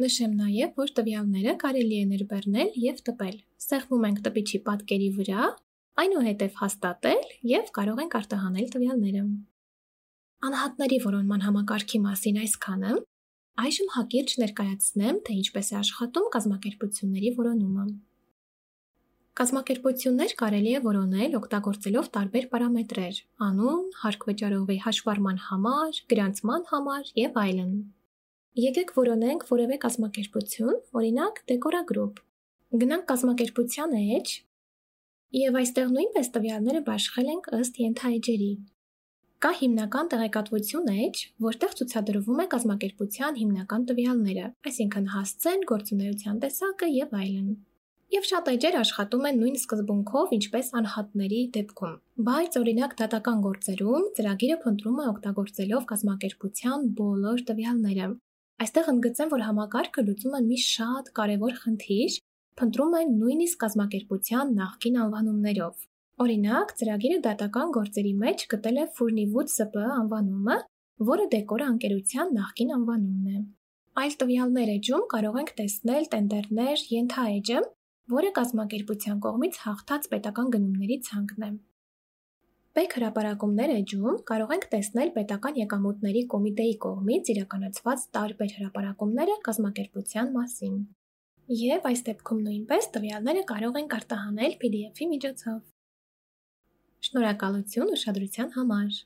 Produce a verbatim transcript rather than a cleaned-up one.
Նշեմ նաև, որ տվյալները կարելի է ներբեռնել և տպել։ Սեղմում ենք տպիչի պատկերի վրա, այնուհետև հաստատել և կարող ենք արտահանել տվյալները։ Անհատների որոնման համակարգի մասին այսքանը, այժմ հակիրճ ներկայացնեմ, թե ինչպես է աշխատում կազմակերպությունների որոնումը։ Կազմակերպություններ կարելի է որոնել օգտագործելով տարբեր պարամետրեր՝ անուն, հարկ վճարողի հաշվառման համար, գրանցման համար և այլն։ Եկեք որոնենք որևէ կազմակերպություն, օրինակ Decoragroup։ Գնանք կազմակերպության էջ և այստեղ նույնպես տվյալները բաշխել ենք ըստ ենթաէջերի։ Կա հիմնական տեղեկատվություն էջ, որտեղ ցուցադրվում է կազմակերպության հիմնական տվյալները, այսինքն հասցեն, գործունեության տեսակը և այլն։ Եվ շատ էջեր աշխատում են նույն սկզբունքով, ինչպես անհատների դեպքում, բայց օրինակ դատական գործերում ծրագիրը փնտրում է օգտագործելով կազմակերպության բոլոր տվյալները։ Այստեղ ընդգծեմ, որ համակարգը լուծում է մի շատ կարևոր խնդիր, փնտրում է նույնիսկ կազմակերպության նախկին անվանումներով։ Օրինակ, ծրագիրը դատական գործերի մեջ գտել է Furnivud ՍՊԸ անվանումը, որը Decor ընկերության նախկին անվանումն է։ Այլ տվյալներ էջում կարող ենք տեսնել տենդերներ ենթաէջը, որը կազմակերպության կողմից հաղթած պետական գնումների ցանկն է։ Պետք հրապարակումներ էջում կարող ենք տեսնել պետական եկամուտների կոմիտեի կողմից իրականացված տարբեր հրապարակումները կազմակերպության մասին։ Եվ այս դեպքում նույնպես տվյալները կարող ենք արտահանել P D F-ի միջոցով։ Շնորհակալություն ուշադրության համար։